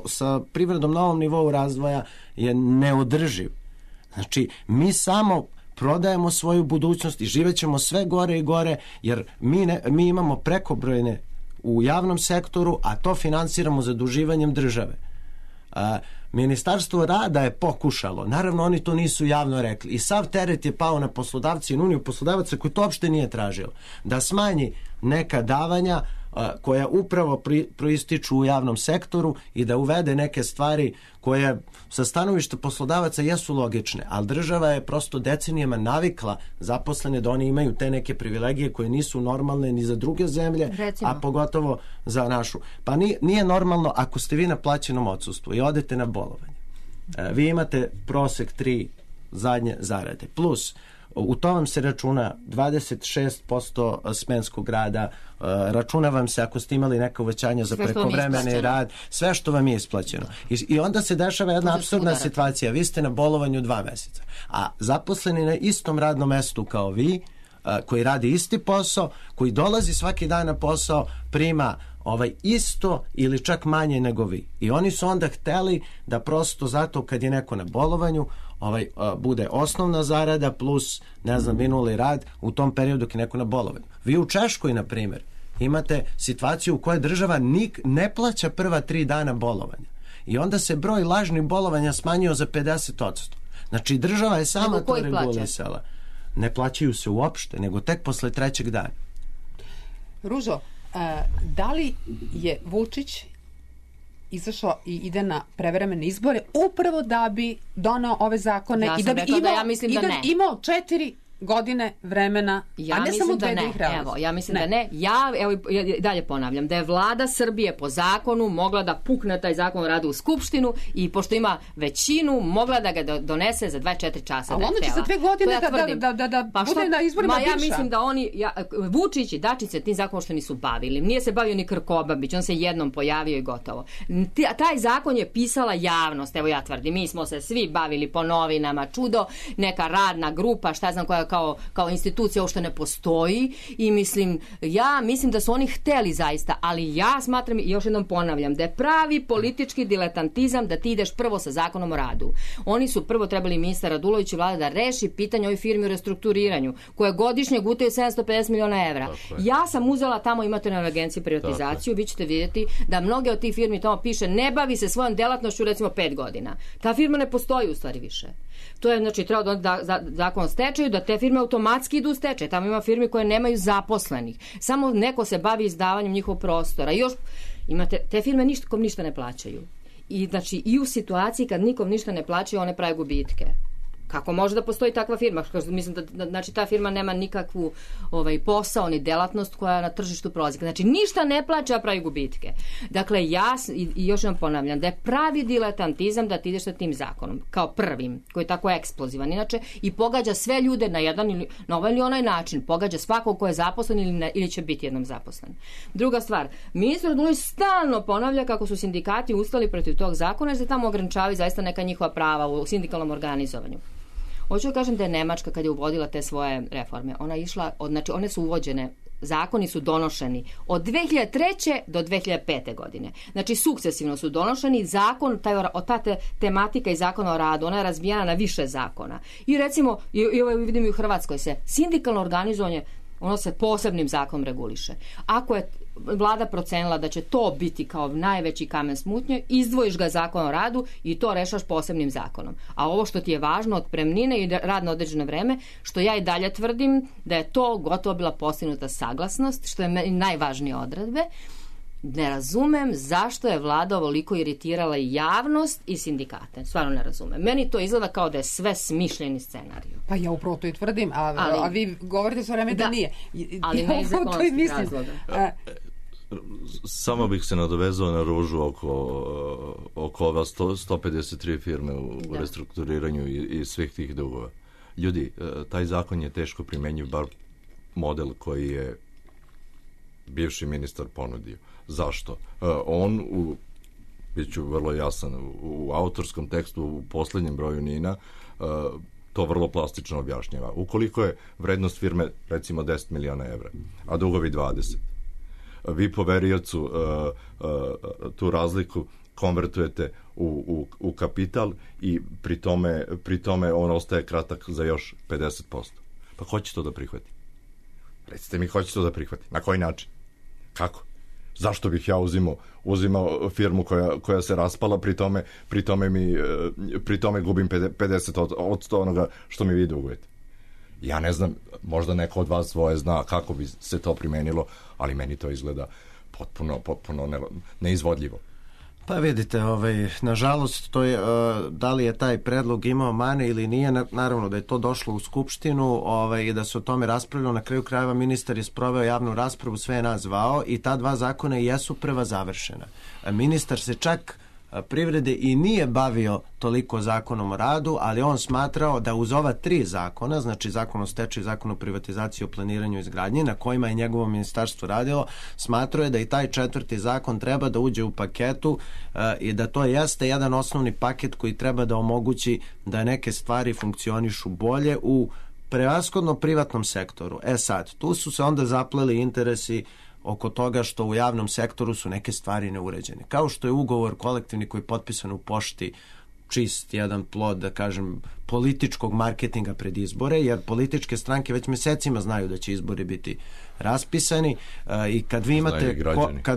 sa privredom na ovom nivou razvoja je neodrživ. Znači, mi samo prodajemo svoju budućnost i živećemo sve gore i gore, jer mi imamo prekobrojne u javnom sektoru, a to finansiramo zaduživanjem države. Ministarstvo rada je pokušalo, naravno oni to nisu javno rekli, i sav teret je pao na poslodavci i uniju poslodavaca koji to uopšte nije tražilo, da smanji neka davanja koja upravo proističu u javnom sektoru i da uvede neke stvari koje sa stanovišta poslodavaca jesu logične, ali država je prosto decenijama navikla zaposlene da oni imaju te neke privilegije koje nisu normalne ni za druge zemlje, a pogotovo za našu. Pa nije normalno ako ste vi na plaćenom odsustvu i odete na bolovanje. Vi imate prosek 3 zadnje zarade. Plus, u to vam se računa 26% smenskog rada, računa vam se ako ste imali neka uvećanja za prekovremeni rad, sve što vam je isplaćeno. I onda se dešava jedna apsurdna situacija. Vi ste na bolovanju 2 meseca, a zaposleni na istom radnom mestu kao vi, koji radi isti posao, koji dolazi svaki dan na posao, prima isto ili čak manje nego vi. I oni su onda hteli da prosto zato kad je neko na bolovanju bude osnovna zarada plus, minuli rad u tom periodu dok je neko na bolovanju. Vi u Češkoj, na primjer, imate situaciju u kojoj država ne plaća prva 3 dana bolovanja. I onda se broj lažnih bolovanja smanjio za 50%. Znači, država je sama to regulisala. Ne plaćaju se uopšte, nego tek posle 3. dana. Ružo, da li je Vučić izašao i ide na prevremene izbore upravo da bi donao ove zakone i da bi imao 4 godine vremena, a ne samo 2 da ih realizuje? Evo, ja mislim da ne. Ja dalje ponavljam da je vlada Srbije po zakonu mogla da pukne taj zakon o radu u Skupštinu i pošto ima većinu, mogla da ga donese za 24 časa. A onda će za 2 godine da bude na izborima bivša. Ja mislim da Vučić i Dačić se tim zakonom što nisu bavili. Nije se bavio ni Krkobabić, on se jednom pojavio i gotovo. Taj zakon je pisala javnost, evo ja tvrdim, mi smo se svi bavili po novinama, čudo, neka radna grupa, šta znam koja kao institucija uopšte ne postoji i mislim da su oni hteli zaista, ali ja smatram i još jednom ponavljam da je pravi politički diletantizam da ti ideš prvo sa zakonom o radu. Oni su prvo trebali ministar Radulović i vlada da reši pitanje ovih firmi u restrukturiranju koje godišnje gutaju 750 miliona evra. Ja sam uzela tamo, imate na agenciji privatizaciju, vi ćete vidjeti da mnoge od tih firmi tamo piše ne bavi se svojom delatnošću recimo 5 godina. Ta firma ne postoji u stvari više. To je, znači, treba da zakon o stečaju, da te firme automatski idu u stečaj. Tamo ima firme koje nemaju zaposlenih. Samo neko se bavi izdavanjem njihovog prostora. I još imate, te firme nikom ništa ne plaćaju. I, znači, i u situaciji kad nikom ništa ne plaćaju, one prave gubitke. Kako može da postoji takva firma? Mislim da znači, ta firma nema nikakvu posao ni delatnost koja na tržištu prolazi. Znači ništa ne plaća, a pravi gubitke. Dakle, ja i još vam ponavljam da je pravi diletantizam da ti ideš sa tim zakonom kao prvim, koji je tako eksplozivan inače i pogađa sve ljude na jedan ili na ovaj ili onaj način. Pogađa svakog ko je zaposlen ili će biti jednom zaposlen. Druga stvar, ministar Radulović stalno ponavlja kako su sindikati ustali protiv tog zakona jer se tamo ograničavaju zaista neka njihova prava u sindikalnom organizovanju. Hoću da kažem da je Nemačka kad je uvodila te svoje reforme, ona išla, znači one su uvođene, zakoni su donošeni od 2003. do 2005. godine. Znači sukcesivno su donošeni, zakon, ta tematika i zakona o radu, ona je razbijena na više zakona. I recimo, i ovo vidim i u Hrvatskoj se, sindikalno organizovanje, ono se posebnim zakonom reguliše. Ako je vlada procenila da će to biti kao najveći kamen smutnje, izdvojiš ga zakon o radu i to rešaš posebnim zakonom. A ovo što ti je važno, otpremnine i rad na određeno vreme, što ja i dalje tvrdim da je to gotovo bila postignuta saglasnost, što je najvažnije odredbe. Ne razumem zašto je vlada ovoliko iritirala i javnost i sindikate. Stvarno ne razumem. Meni to izgleda kao da je sve smišljeni scenarij. Pa ja upravo to i tvrdim, a vi govorite sve vreme da nije. Ali ne iz ekonomskih razloga. Samo bih se nadovezao na Ružu oko ova 153 firme u restrukturiranju i svih tih dugova. Ljudi, taj zakon je teško primenjiv, bar model koji je bivši ministar ponudio. Zašto? On, bit ću vrlo jasan, u autorskom tekstu u poslednjem broju NIN-a to vrlo plastično objašnjava. Ukoliko je vrednost firme recimo 10 miliona evra, a dugovi 20, vi poveriocu tu razliku konvertujete u kapital i pri tome on ostaje kratak za još 50%. Pa ko će to da prihvati? Recite mi ko će to da prihvati? Na koji način? Kako? Zašto bih ja uzimao firmu koja se raspala, pri tome gubim 50% onoga što mi vi dugujete? Ja ne znam, možda neko od vas svoje zna kako bi se to primenilo, ali meni to izgleda potpuno neizvodljivo. Pa vidite, nažalost, to je, da li je taj predlog imao mane ili nije, naravno da je to došlo u Skupštinu i da se o tome raspravljalo. Na kraju krajeva ministar je sproveo javnu raspravu, sve je nas zvao i ta dva zakona jesu prva završena. Ministar se čak privrede i nije bavio toliko zakonom o radu, ali on smatrao da uz ova 3 zakona, znači zakon o stečaju, zakon o privatizaciji, o planiranju i izgradnji, na kojima je njegovo ministarstvo radilo, smatrao je da i taj 4. zakon treba da uđe u paketu i da to jeste jedan osnovni paket koji treba da omogući da neke stvari funkcionišu bolje u prevashodno privatnom sektoru. Sad, tu su se onda zapleli interesi oko toga što u javnom sektoru su neke stvari neuređene. Kao što je ugovor kolektivni koji je potpisan u pošti čist jedan plod, da kažem, političkog marketinga pred izbore, jer političke stranke već mesecima znaju da će izbori biti raspisani i kad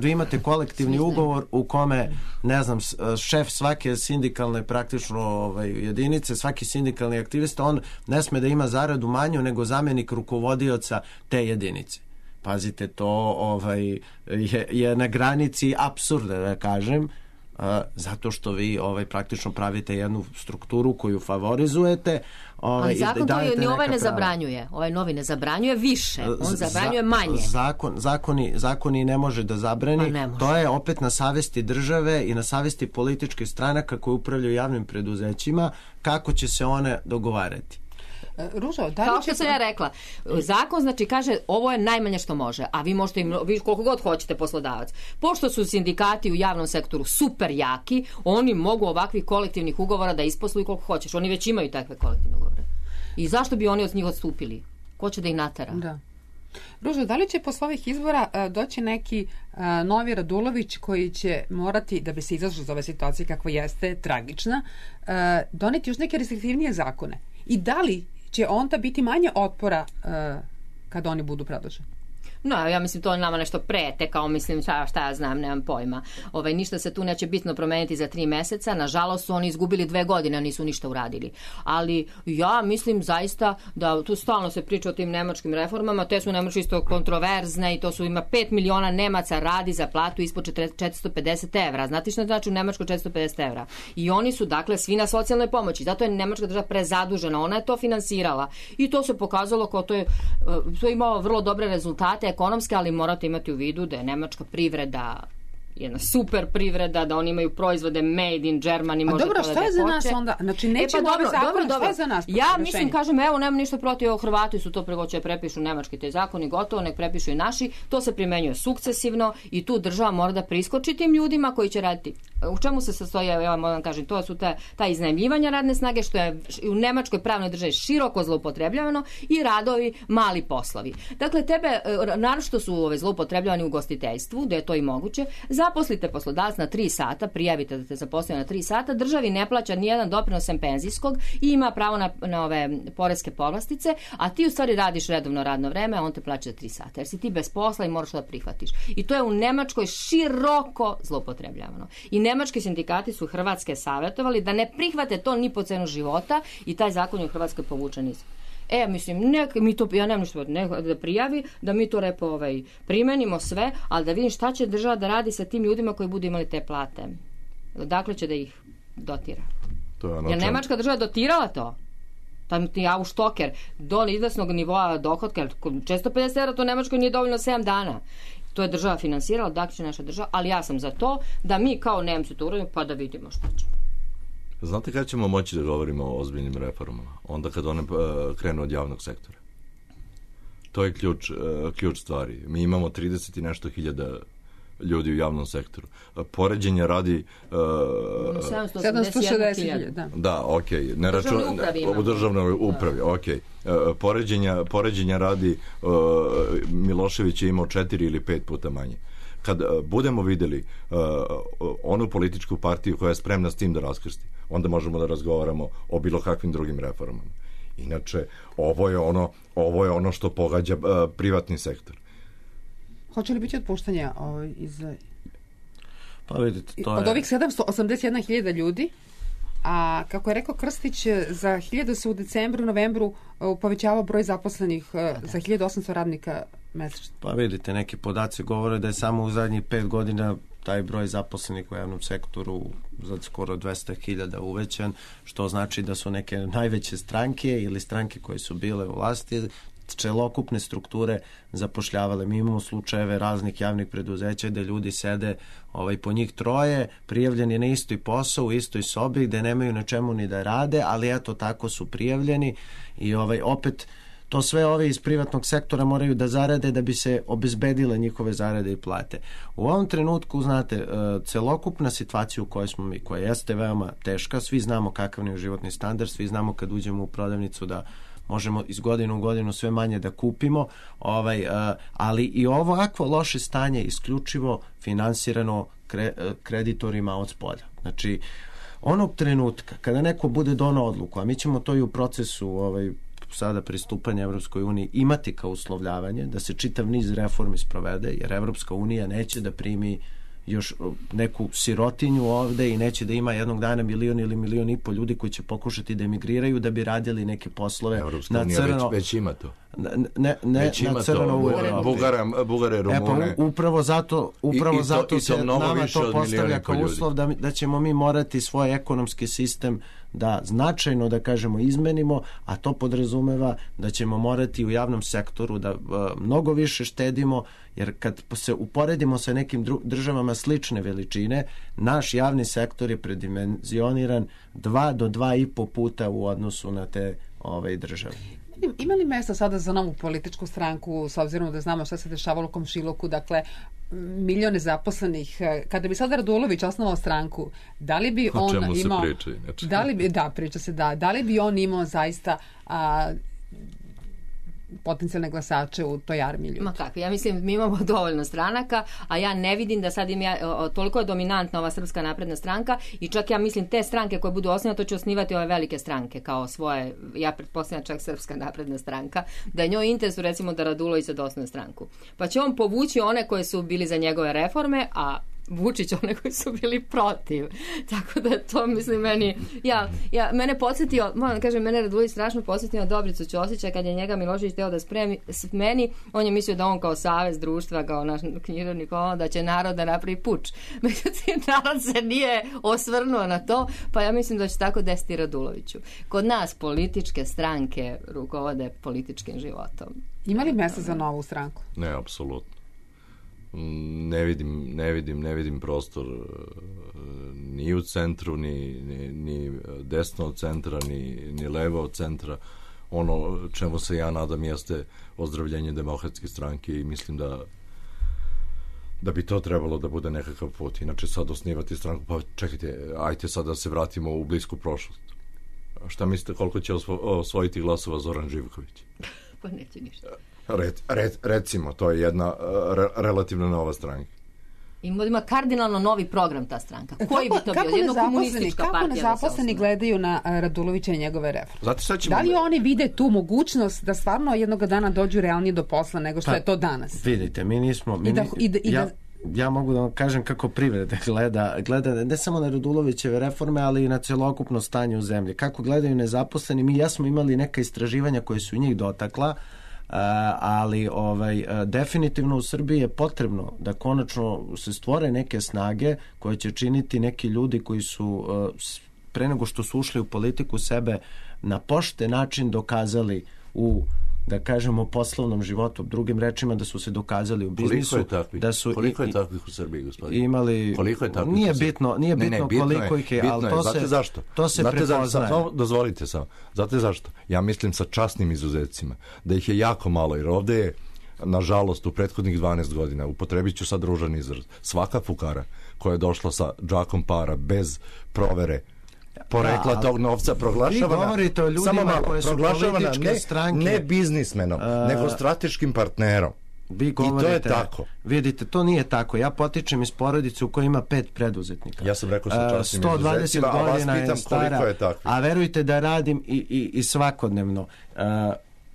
vi imate kolektivni ugovor u kome, ne znam, šef svake sindikalne praktično jedinice, svaki sindikalni aktivista, on ne sme da ima zaradu manju nego zamenik rukovodioca te jedinice. Pazite, to je na granici apsurda, da kažem, zato što vi praktično pravite jednu strukturu koju favorizujete. Ali zakon to ni ovaj ne zabranjuje. Ovaj novi ne zabranjuje više, on zabranjuje manje. Zakoni ne može da zabrani. To je opet na savesti države i na savesti političkih stranaka koje upravljaju javnim preduzećima, kako će se one dogovarati. Ružo, kao što sam ja rekla, zakon znači kaže ovo je najmanje što može, a vi možete vi koliko god hoćete poslodavac. Pošto su sindikati u javnom sektoru super jaki, oni mogu ovakvih kolektivnih ugovora da isposluju koliko hoćeš. Oni već imaju takve kolektivne ugovore. I zašto bi oni od njih odstupili? Ko će da ih natera? Da. Ružo, da li će posle ovih izbora doći neki novi Radulović koji će morati, da bi se izašlo iz ove situacije kakva jeste tragična, doneti još neke restriktivnije zakone? I da li će onda biti manje otpora kad oni budu predloženi? No, ja mislim to nama nešto prete, kao mislim šta ja znam, nemam pojma. Ništa se tu neće bitno promeniti za 3 meseca. Nažalost su oni izgubili 2 godine, a nisu ništa uradili. Ali ja mislim zaista da tu stalno se priča o tim nemačkim reformama, te su Nemačke isto kontroverzne i to su ima 5 miliona Nemaca radi za platu ispod 450 evra. Znate što znači u Nemačkoj 450 evra? I oni su dakle svi na socijalnoj pomoći. Zato je Nemačka država prezadužena. Ona je to finansirala. I to se pokazalo kao to je imalo vrlo dobre rezultate ekonomske, ali morate imati u vidu da je nemačka privreda jedna super privreda, da oni imaju proizvode made in Germany. A dobro, šta je za nas onda? Znači, nećemo ove zakone, šta je za nas? Ja mislim, kažem, evo, nemam ništa protiv, Hrvati su to pregoće prepišu nemački te zakoni, gotovo, nek prepišu i naši, to se primenjuje sukcesivno i tu država mora da priskoči tim ljudima koji će raditi. U čemu se sastoji, ja moram kažem, to su ta iznajmljivanja radne snage, što je u nemačkoj pravnoj državi široko zloupotrebljavano i radovi mali poslovi. Dakle, tebe, naročito su zloupotrebljavani u ugostiteljstvu, da je to i moguće. Zaposlite poslodavac na 3 sata, prijavite da te zaposlite na 3 sata, državi ne plaća nijedan doprinos sem penzijskog i ima pravo na ove poreske povlastice, a ti u stvari radiš redovno radno vreme, a on te plaća za 3 sata, jer si ti bez posla i moraš da prihvatiš. I to je u Nemačkoj široko zloupotrebljavano. I nemački sindikati su Hrvatske savjetovali da ne prihvate to ni po cenu života i taj zakon je u Hrvatskoj povučen iz. Mislim, ja nemam ništa da prijavi, da mi to primenimo sve, ali da vidim šta će država da radi sa tim ljudima koji budu imali te plate. Dakle će da ih dotira. Jer Nemačka država dotirala to. Ti Ausstocker do izvesnog nivoa dohotka, 450 evra, to Nemačkoj nije dovoljno 7 dana. To je država finansirala, dakle će naša država, ali ja sam za to da mi kao Nemci to uradimo pa da vidimo šta ćemo. Znate kada ćemo moći da govorimo o ozbiljnim reformama? Onda kad one krenu od javnog sektora. To je ključ stvari. Mi imamo 30 i nešto hiljada ljudi u javnom sektoru. Poređenja radi 760.000. Da, okej. U državnoj upravi, okej. Poređenja radi Milošević je imao 4 ili 5 puta manje. Kad budemo videli onu političku partiju koja je spremna s tim da raskrsti, onda možemo da razgovaramo o bilo kakvim drugim reformama. Inače, ovo je ono što pogađa privatni sektor. Hoće li biti otpuštanja iz... Pa vidite, to je... Od ovih 781.000 ljudi, a kako je rekao Krstić, za 1000 se u decembru, novembru povećava broj zaposlenih za 1800 radnika mesečno? Pa vidite, neki podaci govore da je samo u zadnjih 5 godina taj broj zaposlenih u javnom sektoru za skoro 200.000 uvećan, što znači da su neke najveće stranke ili stranke koje su bile u vlasti celokupne strukture zapošljavale. Mi imamo slučajeve raznih javnih preduzeća gde ljudi sede po njih troje, prijavljeni na isti posao, u istoj sobi, gde nemaju na čemu ni da rade, ali eto tako su prijavljeni i opet to sve ovi iz privatnog sektora moraju da zarade da bi se obezbedile njihove zarade i plate. U ovom trenutku, znate, celokupna situacija u kojoj smo mi, koja jeste veoma teška, svi znamo kakav je životni standard, svi znamo kad uđemo u prodavnicu da možemo iz godine u godinu sve manje da kupimo, ali i ovakvo loše stanje isključivo finansirano kreditorima od spolja. Znači, onog trenutka kada neko bude donao odluku, a mi ćemo to i u procesu sada pristupanja Evropskoj uniji imati kao uslovljavanje da se čitav niz reformi sprovede, jer Evropska unija neće da primi još neku sirotinju ovde i neće da ima jednog dana 1 milion ili 1,5 miliona ljudi koji će pokušati da emigriraju da bi radili neke poslove na crno. Već ima to. Već ima to. Bugare, Rumune. Upravo zato se nama to postavlja kao uslov da ćemo mi morati svoj ekonomski sistem da značajno, da kažemo, izmenimo, a to podrazumeva da ćemo morati u javnom sektoru da mnogo više štedimo, jer kad se uporedimo sa nekim državama slične veličine, naš javni sektor je predimenzioniran 2 do 2,5 puta u odnosu na te države. Ima li mesta sada za novu političku stranku, s obzirom da znamo šta se dešavalo u komšiluku, dakle, milione zaposlenih? Kada bi sada Radulović osnovao stranku, da li bi on imao... O čemu se priča? Priča se da li bi on imao zaista potencijalne glasače u toj armiji ljudi? Ma kako, ja mislim mi imamo dovoljno stranaka, a ja ne vidim da sad toliko je dominantna ova Srpska napredna stranka i čak ja mislim te stranke koje budu osnovane, to će osnivati ove velike stranke kao svoje, ja pretpostavljam čak Srpska napredna stranka, da je njoj interesu recimo da Radulović sad osnuje stranku. Pa će on povući one koje su bili za njegove reforme, a Vučić one koji su bili protiv. Tako da to, mislim, mene podsjetio, moram da kažem, mene Radulović strašno podsjetio na Dobricu Ćosića kad je njega Milošević teo da smeni, on je mislio da on kao savez društva, kao naš književnik, da će narod da napravi puč. Međutim, narod se nije osvrnuo na to, pa ja mislim da će tako desiti Raduloviću. Kod nas političke stranke rukovode političkim životom. Ima li mjesta za novu stranku? Ne, apsolutno. Ne vidim prostor ni u centru, ni desno od centra, ni levo od centra. Ono čemu se ja nadam jeste ozdravljenje Demokratske stranke i mislim da bi to trebalo da bude nekakav put. Inače sad osnivati stranku, pa čekajte, ajte sad da se vratimo u blisku prošlost. Šta mislite koliko će osvojiti glasova Zoran Živković? Pa neće ništa. Recimo, to je jedna relativno nova stranka. Ima kardinalno novi program ta stranka. Koji bi to bio? Jedna komunistička partija. Kako nezaposleni gledaju na Radulovića i njegove reforme? Da li oni vide tu mogućnost da stvarno jednog dana dođu realnije do posla nego što je to danas? Vidite, mi nismo... Ja mogu da vam kažem kako privreda gleda ne samo na Radulovićeve reforme, ali i na celokupno stanje u zemlji. Kako gledaju nezaposleni, ja smo imali neka istraživanja koje su njih dotakla, ali definitivno u Srbiji je potrebno da konačno se stvore neke snage koje će činiti neki ljudi koji su pre nego što su ušli u politiku sebe na pošten način dokazali u, da kažemo, poslovnom životu, drugim rečima da su se dokazali u biznisu. Koliko je takvih u Srbiji, gospodin? Koliko je takvih? Nije bitno koliko ih je, ali to se prepoznaje. Dozvolite samo. Znate zašto? Ja mislim sa časnim izuzecima da ih je jako malo, jer ovde je, nažalost, u prethodnih 12 godina, upotrebit ću sad ružan izraz, svaka fukara koja je došla sa džakom para bez provere porekla tog novca proglašavana, samo malo, proglašavana ne biznismenom, nego strateškim partnerom. Vi govorite, i to je tako. Vidite, to nije tako. Ja potičem iz porodice u kojoj ima 5 preduzetnika. Ja sam rekao sa časnim izuzecima, a vas pitam koliko je takvih. A verujte da radim i svakodnevno.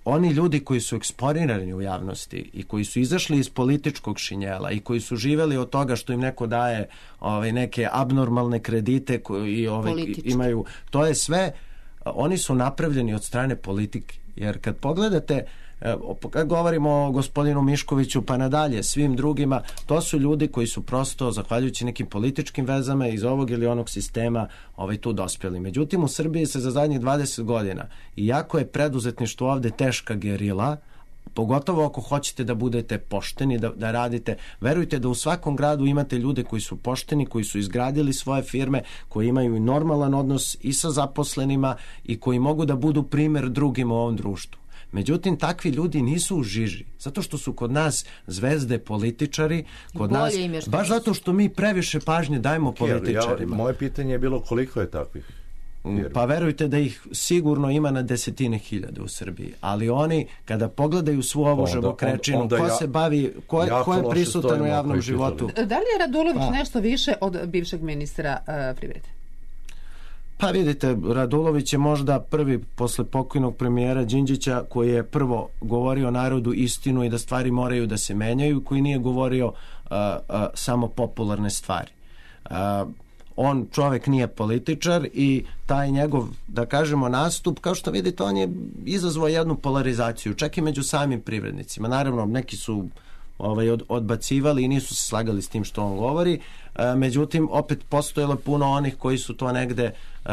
Oni ljudi koji su eksponirani u javnosti i koji su izašli iz političkog šinjela i koji su živeli od toga što im neko daje neke abnormalne kredite i imaju, to je sve, oni su napravljeni od strane Jer kad pogledate, kad govorimo o gospodinu Miškoviću pa nadalje, svim drugima, to su ljudi koji su prosto, zahvaljujući nekim političkim vezama iz ovog ili onog sistema tu dospjeli. Međutim, u Srbiji se za zadnjih 20 godina, iako je preduzetništvo ovde teška gerila, pogotovo ako hoćete da budete pošteni, da radite, verujte da u svakom gradu imate ljude koji su pošteni, koji su izgradili svoje firme, koji imaju i normalan odnos i sa zaposlenima i koji mogu da budu primer drugim u ovom društvu. Međutim, takvi ljudi nisu u žiži, zato što su kod nas zvezde političari, kod nas, baš zato što mi previše pažnje dajemo političarima. Moje pitanje je bilo koliko je takvih? Pa verujte da ih sigurno ima na desetine hiljade u Srbiji, ali oni kada pogledaju svu ovu žabokrečinu, ko se bavi, ko je prisutan u javnom životu. Da li je Radulović nešto više od bivšeg ministra privrede? Pa vidite, Radulović je možda prvi posle pokojnog premijera Đinđića koji je prvo govorio narodu istinu i da stvari moraju da se menjaju, koji nije govorio samo popularne stvari. On čovek nije političar i taj njegov, da kažemo, nastup, kao što vidite, on je izazvao jednu polarizaciju, čak i među samim privrednicima. Naravno, neki su odbacivali i nisu se slagali s tim što on govori, međutim, opet postojalo puno onih koji su to negde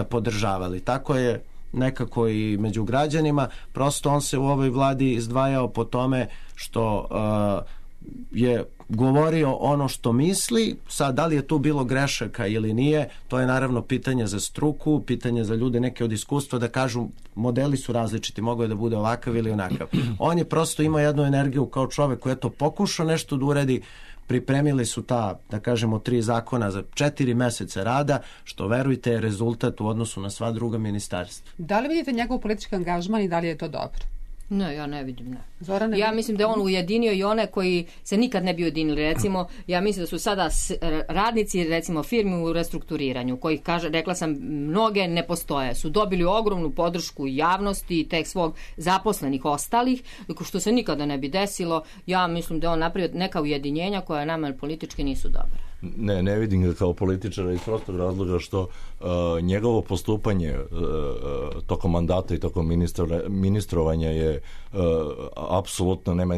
podržavali. Tako je nekako i među građanima, prosto on se u ovoj vladi izdvajao po tome što je govorio ono što misli. Sad, da li je tu bilo grešaka ili nije, to je naravno pitanje za struku, pitanje za ljude neke od iskustva da kažu modeli su različiti, mogo je da bude ovakav ili onakav. On je prosto imao jednu energiju kao čovek koji je to pokušao nešto da uredi. Pripremili su ta, da kažemo, 3 zakona za 4 meseca rada, što verujte je rezultat u odnosu na sva druga ministarstva. Da li vidite njegov politički angažman i da li je to dobro? Ne, ja ne vidim, ne. Zorane, ja mislim da je on ujedinio i one koji se nikad ne bi ujedinili. Recimo, ja mislim da su sada radnici, recimo, firmi u restrukturiranju, kojih, rekla sam, mnoge ne postoje, su dobili ogromnu podršku javnosti i tek svog zaposlenih ostalih, što se nikada ne bi desilo. Ja mislim da je on napravio neka ujedinjenja koja nama politički nisu dobra. Ne vidim ga kao političara iz prostog razloga što njegovo postupanje tokom mandata i tokom ministrovanja je apsolutno nema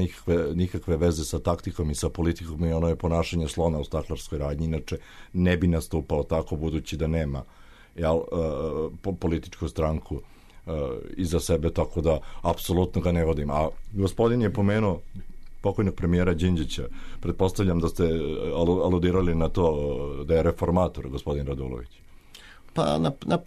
nikakve veze sa taktikom i sa politikom i ono je ponašanje slona u staklarskoj radnji, inače ne bi nastupao tako budući da nema političku stranku iza sebe, tako da apsolutno ga ne vodim. A gospodin je pomenuo pokojnog premijera Đinđića. Pretpostavljam da ste aludirali na to da je reformator gospodin Radulović. Pa na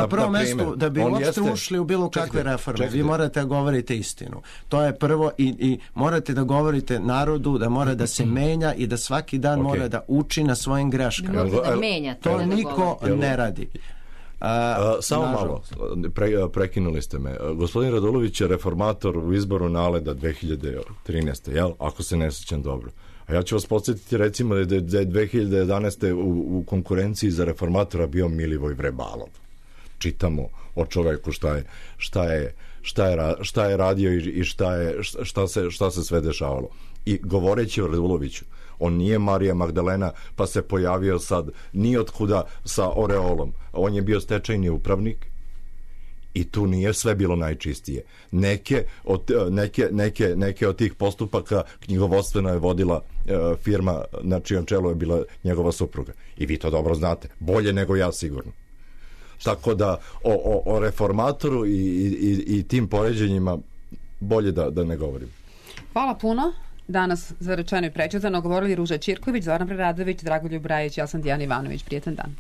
prvom mestu da bi uopšte ušli u bilo kakve reforme. Vi morate da govorite istinu. To je prvo i morate da govorite narodu da mora da se menja i da svaki dan mora da uči na svojim greškama. To niko ne radi. Samo malo, prekinuli ste me. Gospodin Radulović je reformator u izboru Naleda 2013. Jel? Ako se ne sjećam dobro. A ja ću vas podsjetiti recimo da je 2011. u konkurenciji za reformatora bio Milivoj Vrebalov. Čitamo o čoveku šta je radio i šta se sve dešavalo. I govoreći o Raduloviću, on nije Marija Magdalena pa se pojavio sad ni otkuda sa oreolom. On je bio stečajni upravnik i tu nije sve bilo najčistije. Neke od tih postupaka knjigovodstveno je vodila firma na čijem čelu je bila njegova supruga. I vi to dobro znate. Bolje nego ja sigurno. Tako da o reformatoru i tim poređenjima bolje da ne govorim. Hvala puno. Danas za rečeno i prečitano govorili Ruža Ćirković, Zoran Preradović, Dragoljub Brajić, ja sam Dijana Ivanović. Prijetan dan.